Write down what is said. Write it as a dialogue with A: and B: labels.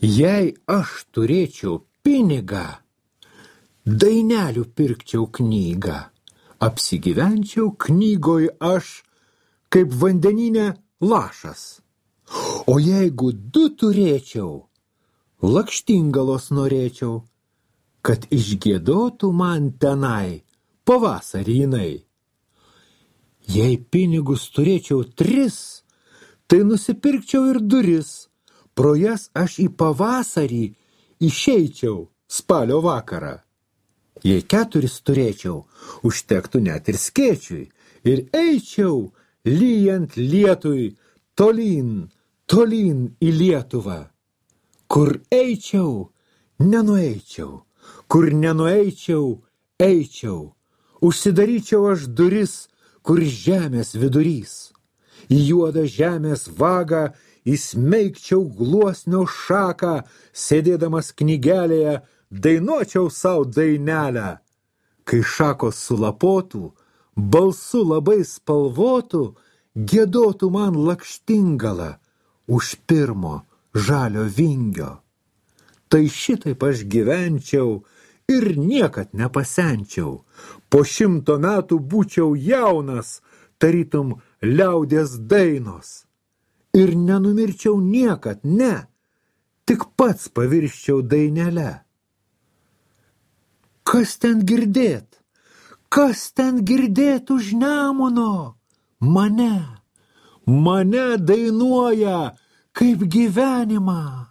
A: Jei aš turėčiau pinigą, dainelių pirkčiau knygą, apsigyvenčiau knygoj aš, kaip vandeninė lašas. O jeigu du turėčiau, lakštingalos norėčiau, kad išgiedotų man tenai pavasarį jinai. Jei pinigus turėčiau 3, tai nusipirkčiau ir duris, pro jas aš į pavasarį išeičiau spalio vakarą. Jei 4 turėčiau, užtektų net ir skėčiui, ir eičiau, lyjant lietui, tolyn į Lietuvą. Kur eičiau, nenueičiau, kur nenueičiau, eičiau, užsidaryčiau aš duris, kur žemės vidurys. Į juodą žemės vagą įsmeigčiau gluosnio šaką, sėdėdamas knygelėje, dainuočiau savo dainelę. Kai šakos sulapotų, balsu labai spalvotų, giedotų man lakštingalą už pirmo žalio vingio. Tai šitaip aš gyvenčiau ir niekad nepasenčiau. Po 100 metų būčiau jaunas, tarytum liaudies dainos. Ir nenumirčiau niekad, ne, tik pats pavirščiau dainelę. Kas ten girdėt? Kas ten girdėt už Nemuno? Mane dainuoja kaip gyvenimą.